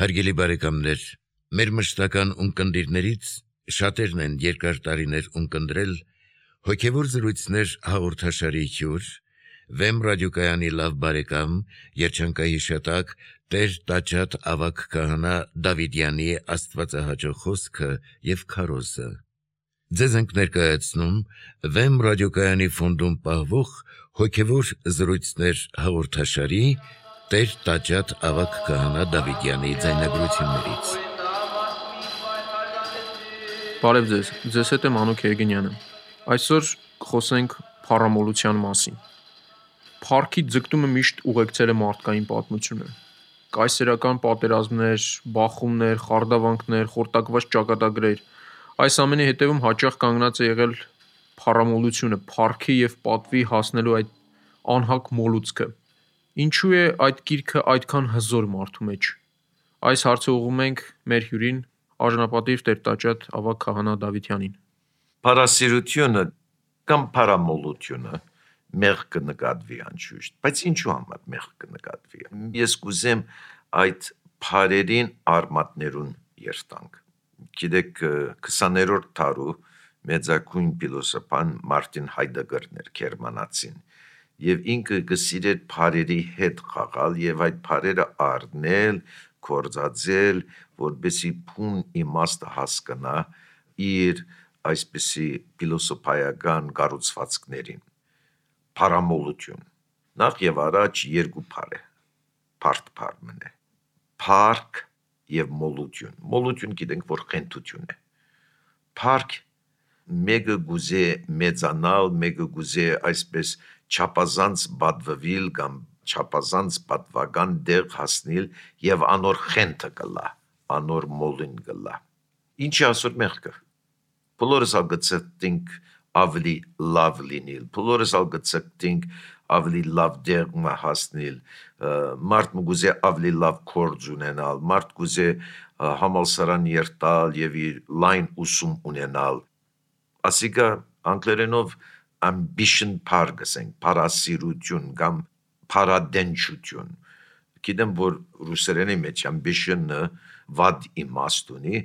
Հարգելի բարեկամներ, մեր մշտական ունկնդիրներից շատերն են երկար տարիներ ունկնդրել հոգևոր զրույցներ հաղորդաշարի հյուր, Վեմ ռադիոկայանի լավ բարեկամ, երջանկահիշատակ Տեր Տաճատ ավագ քահանա Դավիդյանի աստվածահաճո խոսքը եւ քարոզը։ Ձեզ ենք ներկայացնում Վեմ ռադիոկայանի ֆոնդում պահվող հոգևոր զրույցներ հաղորդաշարի Տեր Տաճատ ավագ քահանա Դավիդյանի ձայնագրություններից։ Բարև ձեզ, ձեզ հետ է Մանուկ Երգենյանը։ Այսօր խոսենք փառամոլության մասին։ Փառքի ձգտումը միշտ ուղեկցել է մարդկային պատմությունը։ Կայսերական պատերազմներ, բախումներ, խարդավանքներ, խորտակված ճակատագրեր, այս ամենի հետևում հաճախ կանգնած է եղել փառամոլությունը, փառքի եւ պատվի հասնելու այդ անհակ մոլուցքը։ Ինչու է այդ գիրքը այդքան հզոր մարդու մեջ։ Այս հարցը ուղղում ենք մեր հյուրին, արժանապատիվ Տեր Տաճատ ավագ քահանա Դավիդյանին։ Փառասիրությունը կամ փառամոլությունը մեղք կնկատվի անշուշտ, բայց ինչու համար մեղք կնկատվի։ Ես կուզեմ այդ փառերին արմատներուն երթանք։ Գիտեք, 20-րդ դարու մեծագույն փիլիսոփան Մարտին Հայդեգերն էր գերմանացին, եւ ինքը գսիրեր փառերի հետ խաղալ եւ այդ փառերը առնել, կորզածել, որբեսի փուն իմաստը հասկանա իր այսպիսի փիլիսոփայական կառուցվածքներին։ Փառամոլություն։ Նախ եւ առաջ երկու փառ է։ Փառք է։ Փառք եւ մոլություն։ Մոլություն գիտենք, որ խենթություն է։ Փառք մեկը գուզե մեծանալ, մեկը գուզե այսպես չափազանց բադվվել կամ չափազանց պատվական դեղ հասնել եւ անոր խենթը կլա, անոր մոլին կլա։ Ինչի ասոր մեղքը։ Բոլորս ալգծենք ավելի լավ լինել, բոլորս ալգծենք ավելի լավ դեղ հասնել, մարդ գուզե ավելի լավ կորձ ունենալ, մարդ գուզե համալսարան երթալ եւ իր լայն ուսում ունենալ։ Ասիկա անգլերենով ambition փառ գսենք, փառասիրություն կամ փառադենչություն։ Գիտեմ, որ ռուսերենի մեջ ambition-ը վատ իմաստ ունի,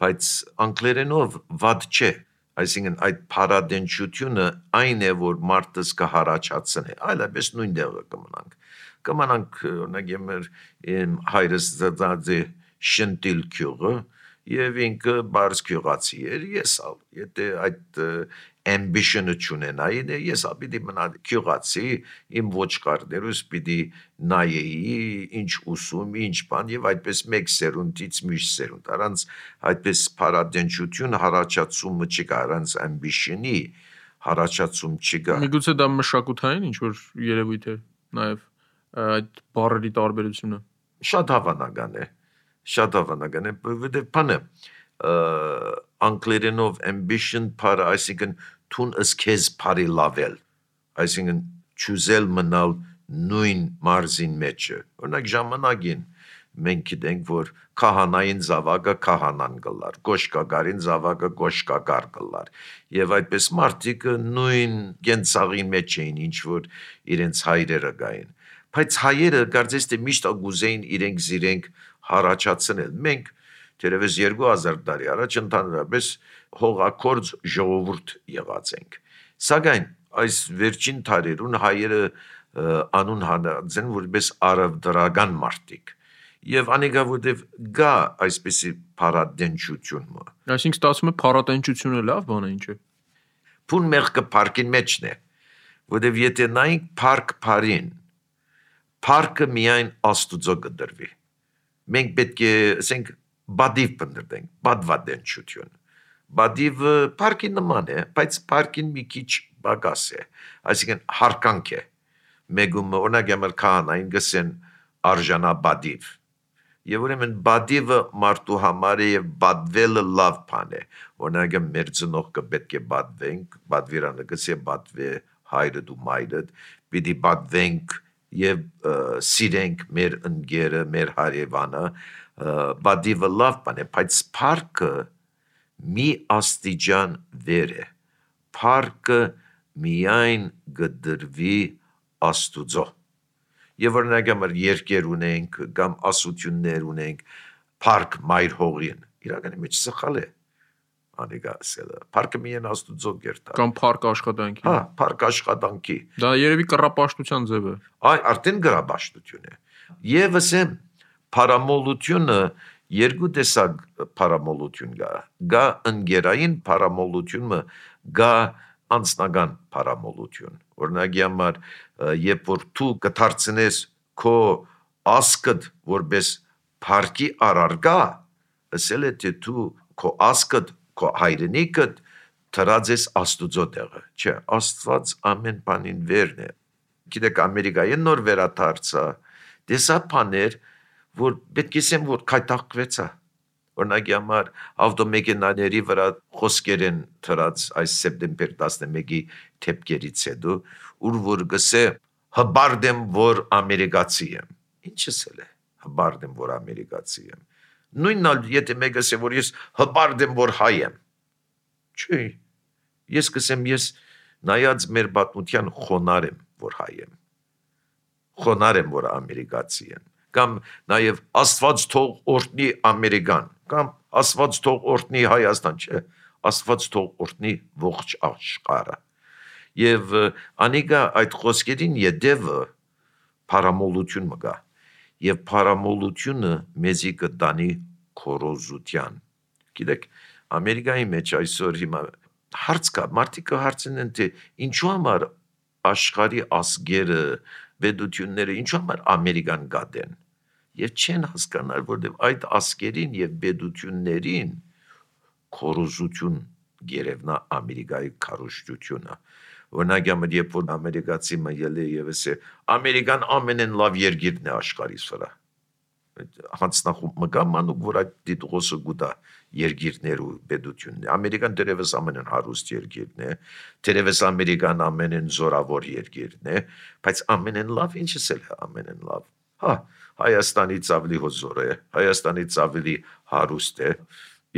բայց անգլերենով վատ չէ։ Այսինքն այդ փառադենչությունը այն է, որ մարդը կհարաճացնի, այլապես նույն դեղը կմնանք։ Կմնանք, օրինակ, իմ հայրս դարձե շնտիլ քյուղը եւ ինքը բարձ քյուղացի էր, ես ալ, եթե այդ ambition-ը չունենայի, ես ալ պիտի մնա քյուղացի, իմ ոչխարներուս պիտի նայեի, ինչ ուսում, ինչ բան եւ այդպես մեկ սերունդից մյուս սերունդ, առանց այդպես փառադենչություն հարաճացումը չկա, առանց ambition-ի հարաճացում չկա։ Միգուցե դա մշակութային ինչ որ երևույթ է նաեւ այդ բառերի տարբերությունը։ Շատ հավանական է, որովհետեւ բանը անգլերենով ambition փառը, այսինքն թուն ըսքեզ փարի լավել, այսինքն չուզել մնալ նույն մարզին մեջը։ Օրինակ ժամանակին մենք գիտենք, որ քահանային զավակը քահանան գլար, գոշկագարին զավակը գոշկագար գլար, եւ այդպես մարդիկ նույն գենցաղի մեջ էին, ինչ որ իրենց հայրերը գային։ Բայց հայերը կարծես թե միշտ գուզեին իրենք հարաճացնել։ Մենք դերևս 2000 տարի առաջ ընդհանրապես հողակորձ ժողովուրդ եղած ենք։ Սակայն այս վերջին տարերուն հայերը անուն հանած են որպես արևդրական մարդիկ։ Եվ անիկա որտեվ գա այսպիսի փառադենչություն։ Այսինքն ստացվում է փառատենչությունը լավ բան է, ինչ է։ Փուն մեղքը փառքին մեջն է, որտեվ եթե նայենք փառք փարին, փառքը միայն Աստուծո կդրվի։ Մենք պետք է ասենք բադիվ պնդենք, բադվադենչություն։ Բադիվը փառքի նման է, բայց փառքին մի քիչ բագաս է, այսինքն հարկանք է։ Մեգում օրինակ ամր քահանային գսեն արժանա բադիվ։ Եվ ուրեմն բադիվը մարդու համար է եւ բադվելը լավ բան է։ Օրինակ մեր ծնողքը պետք է բադվենք, բադվիրանը գսե բադվե հայրդ ու մայրդ, պիտի բադվենք եւ սիրենք մեր ընկերը, մեր հարևանը, բադիվը լավ բան է, բայց փառքը մի աստիճան վեր է։ Փառքը միայն գդրվի Աստուծո։ Եվ օրինակ երկեր ունենք կամ ասություններ ունենք, Փառք մայր հողին։ Իրականի մեջ սխալ է։ Անիկա ասելը։ Փառքը միայն Աստուծո գերտա։ Կամ փառք աշխատանքի։ Հա, փառք աշխատանքի։ Դա երևի կռապաշտության ձև է։ Այ արդեն գրաբաշտություն է։ Եվ ասեմ, փարամոլությունը երկու տեսակ փարամոլություն կա։ Գա ընկերային փարամոլությունը, գա անձնական փարամոլություն։ Օրինակի համար, երբ որ դու կդարձնես քո ասկդ որպես փառքի առարկա, ասել է թե դու քո ասկդ, քո հայրենիքդ դրած ես Աստուծո տեղը։ Չէ, Աստված ամեն բանին վերն է։ Գիտեք, Ամերիկայի նոր վերադարձա, տեսա բաներ, որ պետք է ասեմ, որ քայթակվեցա։ Օրինակի համար ավտոմեքենաների վրա խոսքեր են դրած այս սեպտեմբեր 11-ի թեփքերից հետո, ուր որ գսե հբարդեմ, որ ամերիկացի եմ։ Ինչս է։ Հբարդեմ, որ ամերիկացի եմ։ Նույնն ալ եթե մեկը ասե, որ ես հբարդեմ, որ հայ եմ։ Չի։ Ես կսեմ, ես նայած մեր պատմության խոնար եմ, որ հայ եմ։ Խոնար եմ, որ ամերիկացի եմ։ Կամ նաև Աստված թող օրհնի Ամերիկան, կամ Աստված թող օրհնի Հայաստան, չէ, Աստված թող օրհնի ողջ աշխարհը։ Եվ անիկա այդ խոսքերին յետևը փարամոլություն մգա։ Եվ փարամոլությունը մեզի կտանի քորոզության։ Գիտեք, Ամերիկայի մեջ այսօր հիմա հարց կա, մարդիկ հարցնեն թե ինչու համար աշխարհի ազգերը, պետությունները ինչու համար Ամերիկան գադեն։ Եվ չեն հասկանալ, որտեղ այդ ազգերին եւ պետություններին քորոզություն գերևնա Ամերիկայի քարոզությունը։ Օրինակ, երբ որ ամերիկացի մայել է եւ ասե Ամերիկան ամենեն լավ երկիրն է աշխարհի վրա։ Հանցնախումբ մգա մանուկ, որ այդ դիտողոսը գուտա երկիրներ ու պետությունն է։ Ամերիկան դերևս ամենեն հարուստ երկիրն է, դերևս Ամերիկան ամենեն զորավոր երկիրն է, բայց ամենեն լավ ինչս է ամենեն լավ։ Հա, Հայաստանից ավելի հզոր է, Հայաստանից ավելի հարուստ է,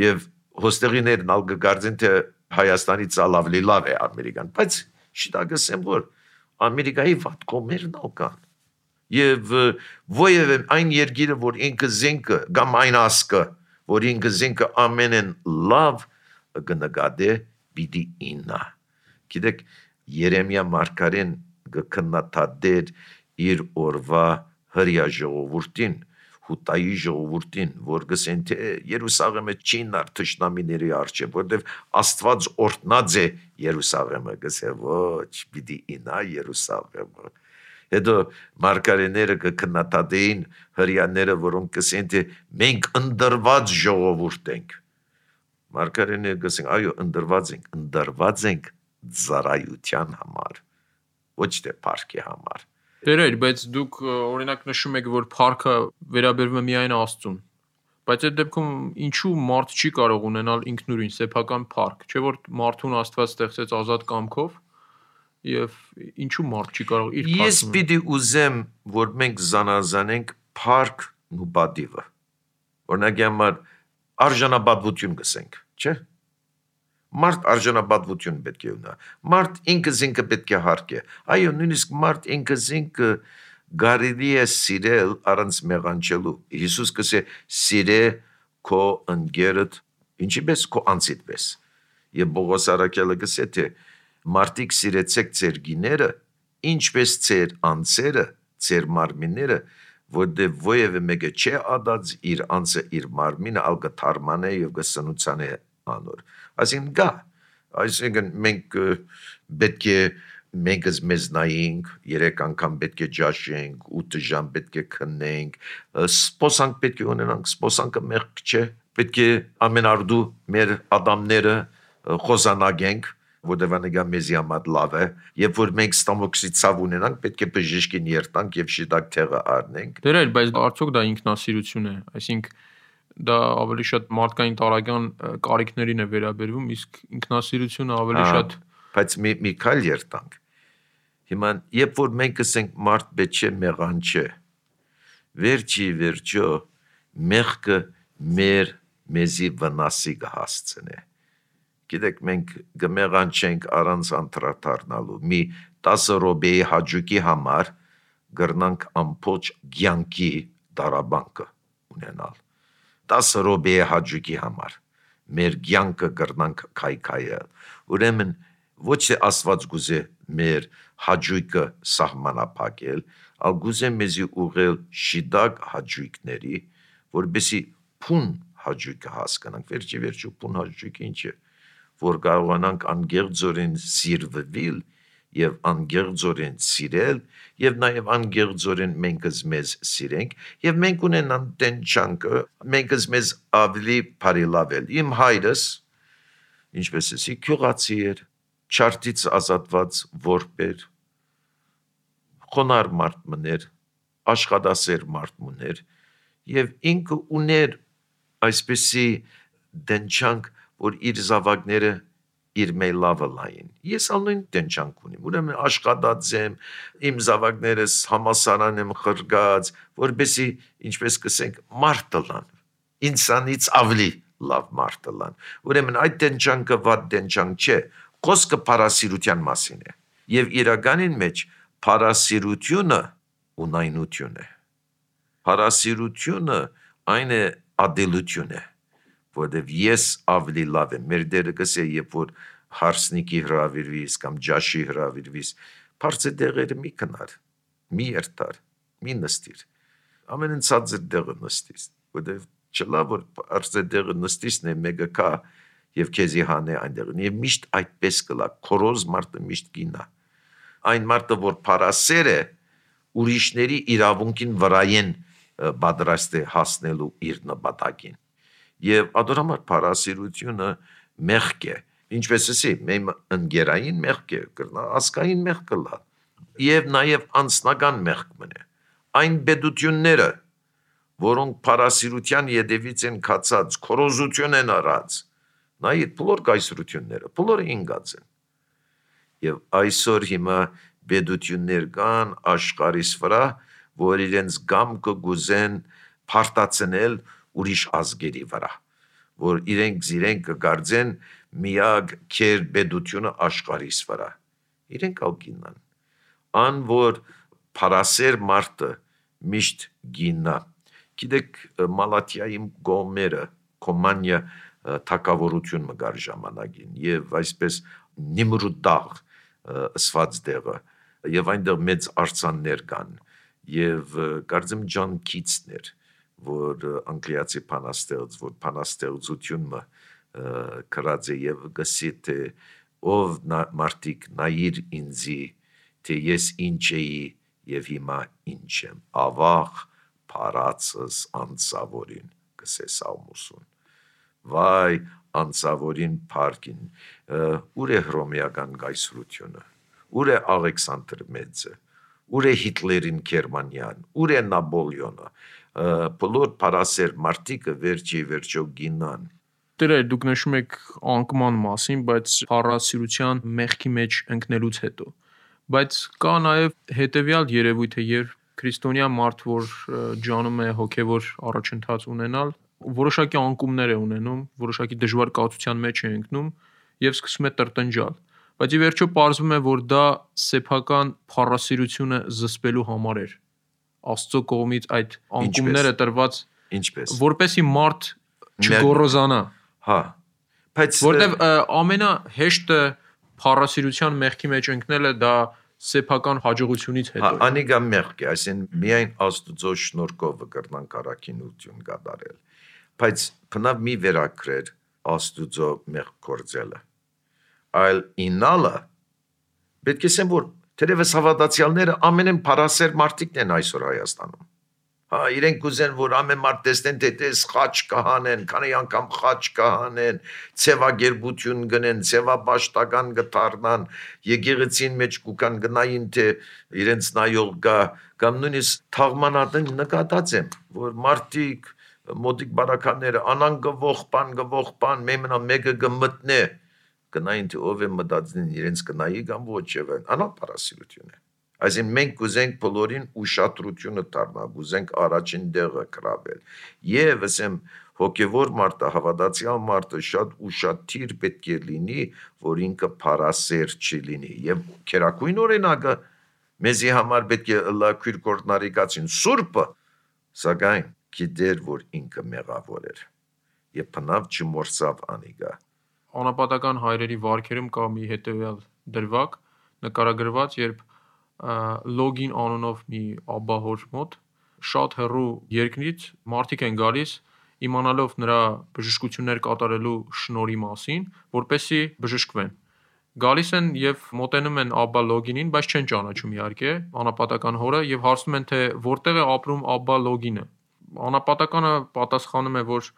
եւ հոստեղիներն ալ կգարձեն թե Հայաստանից ավելի լավ է Ամերիկան, բայց շիտակսեմ որ Ամերիկայի վատ կողմերն ալ կան։ Եվ ովևէ այն երկիրը, որ ինքը զենքը կամ այն ասկը, որ ինքը զենքը ամենեն լավ կնկատե պիտի իննա։ Գիտեք, Երեմիա մարգարեն կքննադատեր իր օրվա հրյա ժողովուրդին, հուտայի ժողովուրդին, որ գսեն թե Երուսաղեմը չի նար թշնամիների առջև, որտեվ Աստված օրհնած է Երուսաղեմը, գսե ոչ, պիտի իննա Երուսաղեմը։ Հետո մարգարեները կքննադատեին հրյաները, որոնք կսեն թե մենք ընդրված ժողովուրդ ենք։ Մարգարեները կսեն, այո, ընդրված ենք ծառայության համար, ոչ թե փառքի համար։ Տերեր, բայց դուք օրինակ նշում եք, որ փառքը վերաբերվում է միայն Աստծուն։ Բայց այդ դեպքում ինչու մարդ չի կարող ունենալ ինքնուրույն սեփական փառք, չէ՞ որ մարդուն Աստված ստեղծեց ազատ կամքով, եւ ինչու մարդ չի կարող իր փառքը։ Ես պիտի ուզեմ, որ մենք զանազանենք փառքն ու պատիվը։ Օրինակի համար արժանապատվություն գսենք, չէ՞։ Մարդ արժանապատվություն պետք է ունենա։ Մարդ ինքը զինքը պետք է հարգի։ Այո, նույնիսկ մարդ ինքը զինքը կարելի է սիրել առանց մեղանչելու։ Հիսուս կսե սիրե քո ընկերդ ինչպես քո անձիդ պես։ Եվ Պողոս առաքյալը կսե թե մարդիկ սիրեցեք ձեր գիները, ինչպես ձեր անձերը, ձեր մարմինները, որտեղ ովևէ մեկը չէ ադած իր անձը իր մարմինը ալ կթարմանե եւ կսնուցանե անոր։ Այսինքն մենք պետք է մեզ մեզ նայենք, 3 անգամ պետք է ջաշենք, 8 ժամ պետք է քննենք, սպոսանք պետք է ունենանք, սպոսանքը մեղք չէ, պետք է ամեն արդու մեր ադամները խոզանագենք, որտեղ անեգա մեզի համար լավ է, երբ որ մենք ստամոքսի ցավ ունենանք, պետք է բժիշկին երթանք եւ շիտակ թեղը առնենք։ Դերեր, բայց արդյոք դա ինքնասիրություն է, այսինքն դա ավելի շատ մարդկային տարական կարիքներին է վերաբերվում, իսկ ինքնասիրությունը ավելի շատ բայց մի քայլ երթանք։ Հիմա երբ որ մենք ասենք մարդ պետք է մեղանչե, վերջի վերջո մեղքը մեզի վնասի կհասցնե։ Գիտեք, մենք կմեղանչենք առանց անդրադառնալու, մի 10 րոպեի հաճույքի համար գրնանք ամբողջ կյանքի դարաբանկը ունենալ։ 10 րոպեի հաճույքի համար մեր կյանքը կրնանք քայքայել։ Ուրեմն ոչ թե Աստված գուզե մեր հաճույքը սահմանափակել, այլ գուզե մեզի ուղղել շիդակ հաճույքների, որպեսզի փուն հաճույքը հասկանանք։ Վերջի փուն հաճույքը ինչ է, որ կարողանանք անգեղձորեն սիրվել եւ անգեղձորեն սիրել եւ նաեւ անգեղձորեն մեզ մեզ սիրենք եւ մենք ունենան տենչանքը մեզ մեզ ավելի բարելավել։ Իմ հայրս, ինչպես ասի, քյուղացի էր, չարտից ազատված որբեր, խոնար մարդ մներ, աշխատասեր մարդ մներ եւ ինքը ուներ այսպեսի դենչանք, որ իր զավակները իր մեյլավը լային։ Ես ալնույն դենչանք ունիմ, ուրեմն աշխատած եմ, իմ զավակներս համասարան եմ խրգած, որպեսի, ինչպես կսենք, մարդ լան, ինձանից ավելի լավ մարդ լան։ Ուրեմն այդ դենչանքը վատ դենչանք չէ, խոսքը փարասիրության մասին է։ Եվ իրականին մեջ փարասիրությունը ունայնություն է։ Փարասիրությունը այն է ադելություն է, որտեվ ես ավելի լավ եմ։ Մեր դերը կսե, երբ որ հարսնիկի հրավիրվիս կամ ջաշի հրավիրվիս, բարձր դեղերը մի կնար, մի երթար, մի նստիր, ամենն ցածր դեղը նստիս, որտեվ չլա որ բարձր դեղը նստիսն է մեկը կա եւ քեզի հանե այնտեղն եւ միշտ այդպես կլա, քորոզ մարդը միշտ գինա։ Այն մարդը, որ փարասեր է, ուրիշների իրավունքին վրայեն պատրաստ է հասնելու իր նպատակին։ Եվ ադորամար փարասիրությունը մեղք է, ինչպես ասի, մեր ընկերային մեղք է, ասկային մեղք կլա, եւ նաեւ անձնական մեղք մնե։ Այն պետությունները, որոնք փարասիրության յետևից են կացած, քորոզություն են արած, նայ բոլոր կայսրությունները, բոլորը ինգած են։ Եվ այսօր հիմա պետություններ կան աշխարհիս վրա, որ իրենց գամքը գուզեն փարտացնել ուրիշ ազգերի վրա, որ իրենք կգարձեն միակ քեր պետությունը աշխարհիս վրա։ Իրենք ալ գինան։ Ան որ փարասեր մարդը միշտ գինա։ Գիտեք Մալաթիայի գոմերը, Կոմանիա թակավորություն մգար ժամանակին եւ այսպես Նիմրուդաղ սված դեղը եւ այնտեղ մեծ արձաններ կան եւ կարծեմ Ջոն Քիթսներ, որ անգլիացի բանաստեղծ, որ բանաստեղծությունը կրած է եւ գսի թե ով մարդիկ նայիր ինձի, թե ես ինչ էի եւ հիմա ինչ եմ, ավաղ փարածս անցավորին գսես Սաղմոսուն։ Վայ անցավորին փարքին, ուր է հռոմեական կայսրությունը, ուր է Ալեքսանդր Մեծը, ուր է Հիտլերին Գերմանիան, ուր է Նապոլեոնը, բոլոր փարասեր մարդիկը վերջո գինան։ Դերը դուք նշում եք անկման մասին, բայց փարասիրության մեղքի մեջ ընկնելուց հետո։ Բայց կա նաև հետևյալ երևույթը, երբ քրիստոնյա մարդ, որ ջանում է հոգևոր առաջընթաց ունենալ, որոշակի անկումներ է ունենում, որոշակի դժվար կացության մեջ է ընկնում եւ սկսում է տրտնջալ։ Բայց ի վերջո պարզվում է, որ դա սեփական փառասիրությունը զսպելու համար էր։ Աստծո կողմից այդ անկումները տրված ինչպես որպեսի մարդ չգոռոզանա։ Հա։ Բայց որտեվ ամենահեշտը փառասիրության մեղքի մեջ ընկնելը դա սեփական հաջողությունից հետո է։ Անիգա մեղք է, այսինքն միայն Աստծո շնորհքով կրնանք առաքինություն կատարել։ Բայց բնավ մի վերակրեր Աստծո մեղք կործելը։ Այլ ինալը պետք է ասեմ, որ թերևս հավատացյալները ամենեն փարասեր մարդիկն են այսօր Հայաստանում։ Հա, իրենք կուզեն, որ ամեն մարդ տեսնեն, թե տես խաչ կհանեն, քանի անգամ խաչ կհանեն, ցևագերբություն գնեն, ցևապաշտական կդառնան, եկեղեցին մեջ կուկան գնային, թե իրենց նայող գա, կամ նույնիսկ թաղմանատեն նկատած եմ, որ մարդիկ մոտիկ բարականները անանգվող բան, մեմնա մեկը կմտնե, գնային, թե ով է մտածին իրենց կնայի կամ ոչ եւ անապարասիրություն է։ Այսինքն մենք կուզենք բոլորին ուշադրությունը դառնալ, կուզենք առաջին դեղը կրավել։ Եվ ասեմ հոգևոր մարդը, հավատացյալ մարդը շատ ուշադիր պետք է լինի, որ ինքը փարասեր չլինի։ Եվ քերակույն օրինակը մեզի համար պետք է լա քույր կորտնարիկացին սուրբը, սակայն գիտեր, որ ինքը մեղավոր էր եւ բնավ չմորսավ անիգա։ Անապատական հայրերի վարքերում կա մի հետևյալ դրվագ նկարագրված, երբ լոգին անունով մի աբահոր մոտ շատ հեռու երկրից մարդիկ են գալիս իմանալով նրա բժշկություններ կատարելու շնորհի մասին, որպեսզի բժշկվեն։ Գալիս են եւ մոտենում են Աբբա Լոգինին, բայց չեն ճանաչում իհարկե անապատական հորը եւ հարցնում են, թե որտեղ է ապրում Աբբա Լոգինը։ Անապատականը պատասխանում է, որ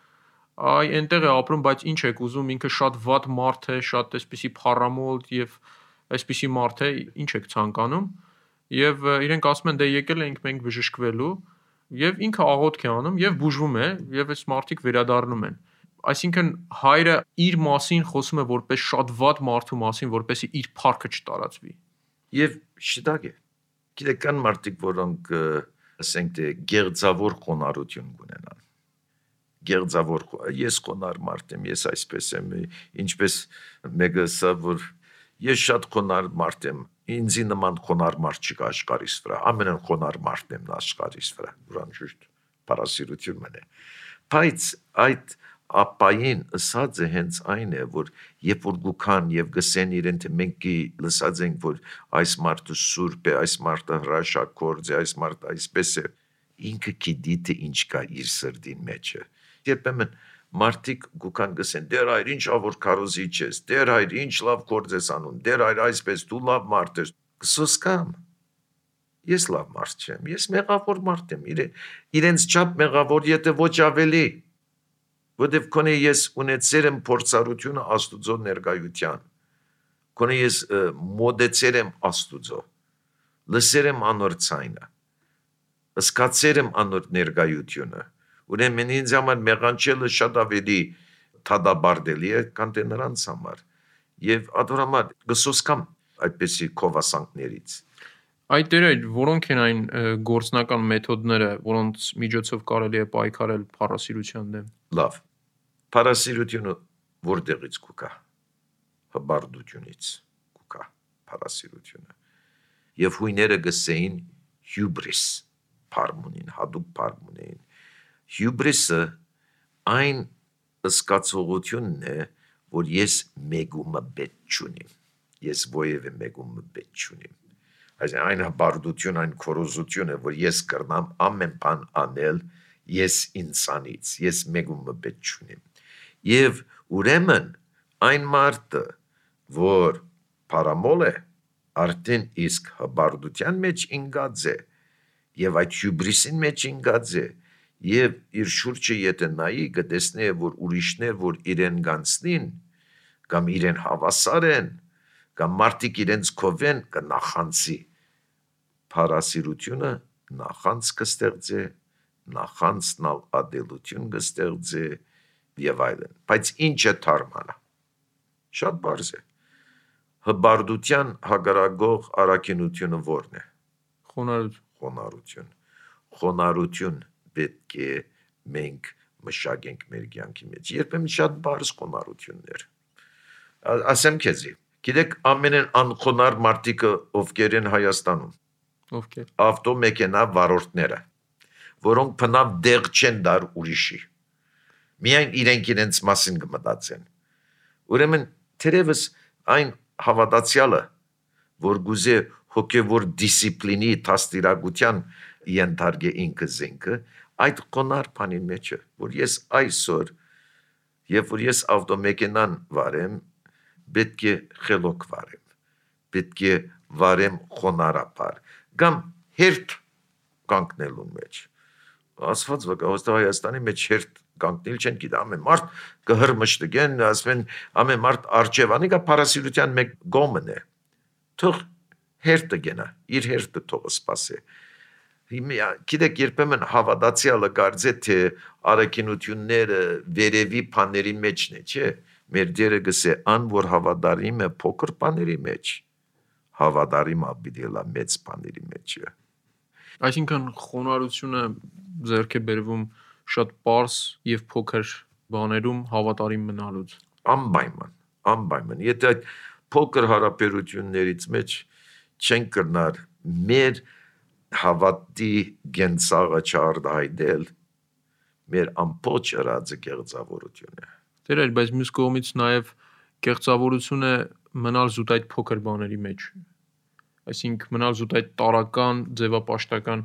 այ այնտեղ է ապրում, բայց ինչ եք ուզում, ինքը շատ վատ մարդ է, շատ այսպիսի փառամոլ եւ այսպիսի մարդ է, ինչ եք ցանկանում։ Եվ իրենք ասում են, դե եկել ենք մենք բժշկվելու, եւ ինքը աղոթք է անում եւ բուժվում է, եւ այս մարդիկ վերադառնում են։ Այսինքն հայրը իր մասին խոսում է որպես շատ վատ մարդու մասին, որպեսզի իր փառքը չտարածվի։ Եվ շտակ է։ Գիտեք, կան մարդիկ, որոնք ասենք թե գեղձավոր խոնարհություն ունենան։ Գեղձավոր, ես խոնարհ մարդ եմ, ես այսպես եմ, ինչպես մեկը ասա, որ ես շատ խոնարհ մարդ եմ, ինձի նման խոնարհ մարդ չկա աշխարհիս վրա, ամենն խոնարհ մարդն եմ աշխարհիս վրա, ուրան ճիշտ պարասիրություն մնե։ Բայց այդ ապային ըսած է հենց այն է, որ երբ որ գուքան եւ գսեն իրեն, թե մենք լսած ենք, որ այս մարդը սուրբ է, այս մարդը հրաշագործ է, այս մարդը այսպես է, ինքը գիտի թե ինչ կա իր սրտին մեջը։ Երբեմն մարդիկ գուքան գսեն, դեր հայր ինչ ավոր քարոզիչ ես, դեր հայր ինչ լավ գործ ես անում, դեր հայր այսպես դու լավ մարդ ես, կսոսկամ։ Ես լավ մարդ չեմ, ես մեղավոր մարդ եմ, իրենց չափ մեղավոր, եթե ոչ ավելի։ Որտեվ կոնե ես ունեցել եմ փորձառությունը Աստուծո ներկայության, կոնե ես մոդեցել եմ Աստուծո, լսել եմ անոր ցայնը, զգացել եմ անոր ներկայությունը, ուրեմն ինձ համար մեղանչելը շատ ավելի թադաբարդելի է, քան թե նրանց համար, եւ ադորամատ գսոսկամ այդպեսի քովասանքներից։ Այդ դերեր, որոնք են այն գործնական մեթոդները, որոնց միջոցով կարելի է պայքարել փառասիրության դեմ։ Լավ։ Փառասիրությունը որտեղից կուկա։ Հբարդությունից կուկա փառասիրությունը։ Եվ հույները գսեին հյուբրիս, փարմունին, հadoop փարմունին։ Հյուբրիսը այն զգացողությունն է, որ ես մեգումը պետք չունիմ։ Ես ովևէ մեգումը պետք չունիմ։ Այն հբարդություն, այն քորոզությունը, որ ես կրնամ ամեն բան անել, ես ինձանից, ես մեգումը պետք չունիմ։ Եվ ուրեմն այն մարդը, որ փարամոլ է, արդեն իսկ հբարդության մեջ ինգած է, եւ այդ հյուբրիսին մեջ ինգած է, եւ իր շուրջը եթե նայի կտեսնի, որ ուրիշներ, որ իրեն գանցնին, կամ իրեն հավասար են, կամ մարդիկ իրենց կովեն, կնախանցի։ Փառասիրությունը նախանց կստեղծե, նախանցնալ ադելություն կստեղծե եւ այլն։ Բայց ինչ է թարմանը։ Շատ բարձ է։ Հբարդության հագարագող առաքինությունը ո՞րն է։ Խոնարհություն։ Խոնարհություն պետք է մենք մշակենք մեր կյանքի մեջ։ Երբեմն շատ բարձ խոնարհություններ։ Ասեմ քեզի, գիտեք ամենն անխոնարհ մարդիկը ովքեր են Հայաստանում։ Ովքեր։ Ավտոմեքենա վարորդները, որոնք բնավ դեղ չեն դար ուրիշի։ Միայն իրենց մասին կմտածեն։ Ուրեմն թերևս այն հավատացյալը, որ գուզե հոգևոր դիսցիպլինի տաստիրագության ենթարկե ինքը զենքը, այդ խոնարհ բանի մեջ է, որ ես այսօր, երբ որ ես ավտոմեքենան վարեմ, պետք է խելոք վարեմ, պետք է վարեմ խոնարհաբար, կամ հերթ կանգնելու մեջ։ Ասված վկայոստը Հայաստանի մեջ հերթ կանգնել չեն գիտա, ամեն մարդ կհրմշտգեն, ասեն ամեն մարդ արջևանի կա փառասիրության մեկ գոմն է։ Թող հերթը գնա, իր հերթը թող սպասե։ Գիտեք, երբեմն հավատացյալը կարծե թե առաքինությունները վերևի բաների մեջն է, չէ՞։ Մեր դերը գսե ան որ հավատարիմ է փոքր բաների մեջ, հավատարիմ պիտի լա մեծ բաների մեջ։ Այսինքն խոնարհությունը ձեռք է բերվում շատ պարզ եւ փոքր բաներում հավատարիմ մնալուց։ Անպայման։ Եթե այդ փոքր հարաբերություններից մեջ չեն կրնար մեր հավատի գենցաղը չարդայդել, մեր ամբողջ ըրածը կեղծավորություն է։ Տերեր, բայց մյուս կողմից նաև կեղծավորությունը մնալ զուտ այդ փոքր բաների մեջ։ Այսինքն մնալ զուտ այդ տարական, ձևապաշտական,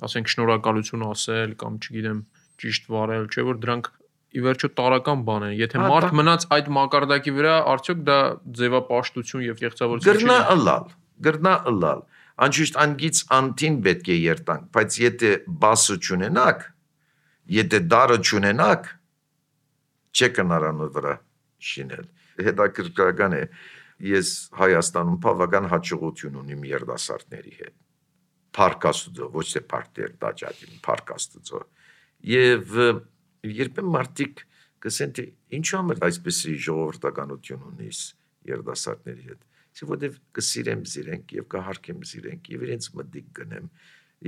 ասենք շնորհակալություն ասել կամ չգիտեմ, ճիշտ վարել, չէ՞ որ դրանք ի վերջո տարական բան են։ Եթե մարդ մնաց այդ մակարդակի վրա, արդյոք դա ձևապաշտություն եւ կեղծավորություն չի։ Գրնա ըլալ։ Անշուշտ անգից անտին պետք է երտանք, բայց եթե բասը չունենաք, եթե դարը չունենաք, չեք հնարանու վրա շինել։ Հետաքրքրական է, ես Հայաստանում բավական հաջողություն ունիմ երիտասարդների հետ։ Փառք Աստծո, ոչ թե փառք դաջադին, փառք Աստծո։ Եվ երբեմն մարդիկ կսեն թե ինչու համար այսպեսի ժողովրդականություն ունիս երիտասարդների հետ։ Որտեվ կսիրեմ զիրենք եւ կհարգեմ զիրենք եւ իրենց մտիկ գնեմ,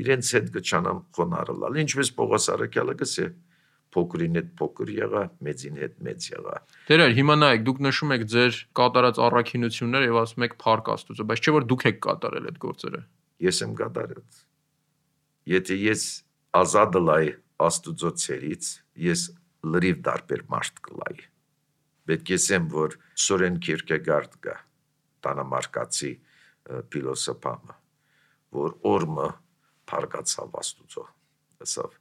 իրենց հետ կչանամ խոնարհալ։ Ինչպես Պողոս Արաքյալը գսե, փոքրին հետ փոքր եղա, մեծին հետ մեծ եղա։ Տերեր, հիմա նայեք, դուք նշում եք ձեր կատարած առաքինությունները եւ ասում եք փառք Աստծո, բայց չէ՞ որ դուք եք կատարել այդ գործերը։ Ես եմ կատարել։ Եթե ես ազատ լայ Աստծո ցերից, ես լրիվ դարբեր մարդ կլայ։ Պետք է ասեմ, որ Սորեն Քիրքեգարդ կա, տանամարկացի փիլոսոփամը, որ օրմը փառկացավ Աստծո։ Ասավ,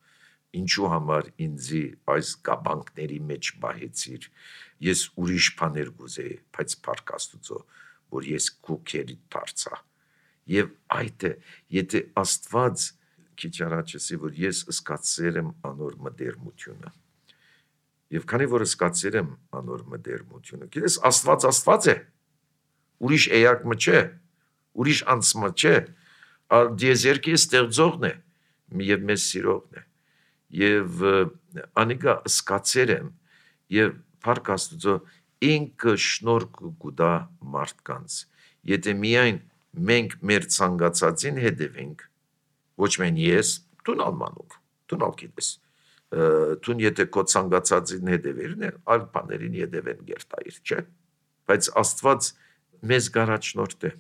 ինչու համար ինձի այս կաբանքների մեջ բահեցիր, ես ուրիշ բաներ գուզեի, բայց փառք Աստծո, որ ես քուքերի դարձա։ Եվ այդ է, եթե Աստված քիչ առաջ ասի, որ ես սկացել եմ անոր մտերմությունը։ Եվ քանի որ սկացել եմ անոր մտերմությունը, գիտես Աստված է։ Ուրիշ էակը չէ, ուրիշ անցմը չէ, դիեզերքի ստեղծողն է, եւ մեզ սիրողն է։ Եվ անիկա սկացել եմ եւ փառք Աստծո ինքը շնորհք կուտա մարդկանց։ Եթե միայն մենք մեր ցանկացածին հետևենք, ոչ միայն ես, դու նալմանուկ, դու նալ գիտես։ Դու եթե քո ցանկացածին հետևերն է, այլ բաներին հետևեն գերտայր, չէ՞։ Բայց Աստված մեզ գարաչնորդ է։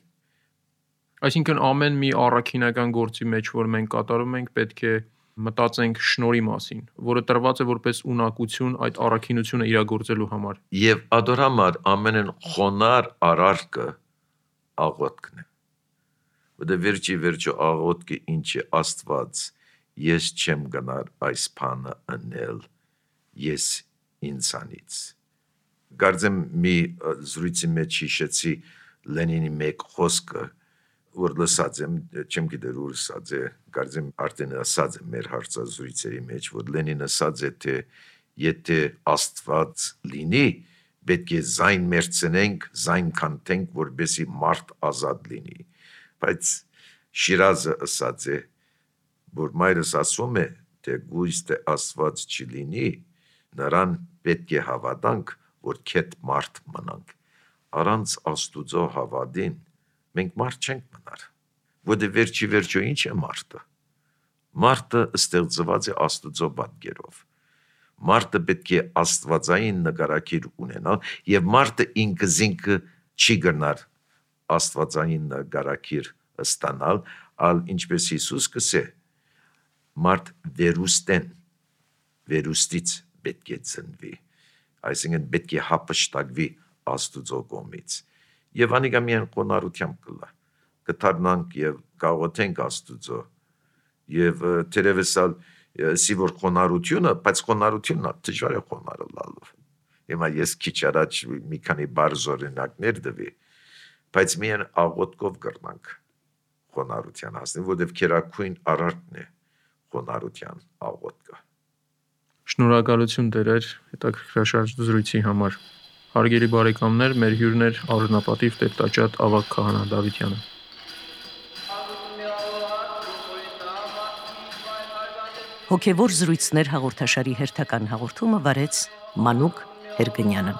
Այսինքն ամեն մի առաքինական գործի մեջ, որ մենք կատարում ենք, պետք է մտածենք շնորհի մասին, որը տրված է որպես ունակություն այդ առաքինությունը իրագործելու համար։ Եվ ադորամար ամենն խոնար արարքը աղոթքն է։ Որտե վերջի աղոթքը ինչ է Աստված, ես չեմ գնար այս բանը անել, ես ինձանից։ Գարձեմ մի զրույցի մեջ հիշեցի Լենինի մեկ խոսքը, որ լսած եմ, չեմ գիտեր ուր ասած է, գարձեմ արդեն ասած է մեր հարցազրույցերի մեջ, որ Լենինը ասած է, թե եթե Աստված լինի, պետք է զայն մերցնենք, զայն քանթենք, որպեսզի մարդ ազատ լինի։ Բայց Շիրազը ասած է, որ մայրս ասում է, թե գույս թե Աստված չլինի, նրան պետք է հավատանք, որ քետ մարդ մնանք։ Առանց Աստուծո հավատին մենք մարդ չենք մնար։ Որտե վերջի ինչ է մարդը։ Մարդը ստեղծված է Աստուծո պատկերով։ Մարդը պետք է աստվածային նկարագիր ունենալ եւ մարդը ինքը չի գնար աստվածային նկարագիր ստանալ, ալ ինչպես Հիսուս կսե, մարդ վերուստից պետք է ծնվի, այսինքն պետք է հափշտակվի Աստուծո կողմից։ Եվ անիկա միայն խոնարհությամբ կլա, կդառնանք եւ կաղոթենք Աստուծո, եւ թերևս սիվոր խոնարհությունը, բայց խոնարհությունն դժվար է խոնարհալու։ Հիմա ես քիչ առաջ մի քանի բարձ օրինակներ տվի, բայց միայն աղոթքով կրնանք խոնարհության հասնել, որովհետև քերակույն արարքն է խոնարհության աղոթքը։ Շնորհակալություն Տերեր հետաքրքրաշարժ զրույցի համար։ Հարգելի բարեկամներ, մեր հյուրն էր առնապատիվ Տեր-Տաճատ Ավագ քահանա Դավթյանը։ Հոգևոր զրույցներ հաղորդաշարի հերթական հաղորդումը վարեց Մանուկ Էրգենյանը։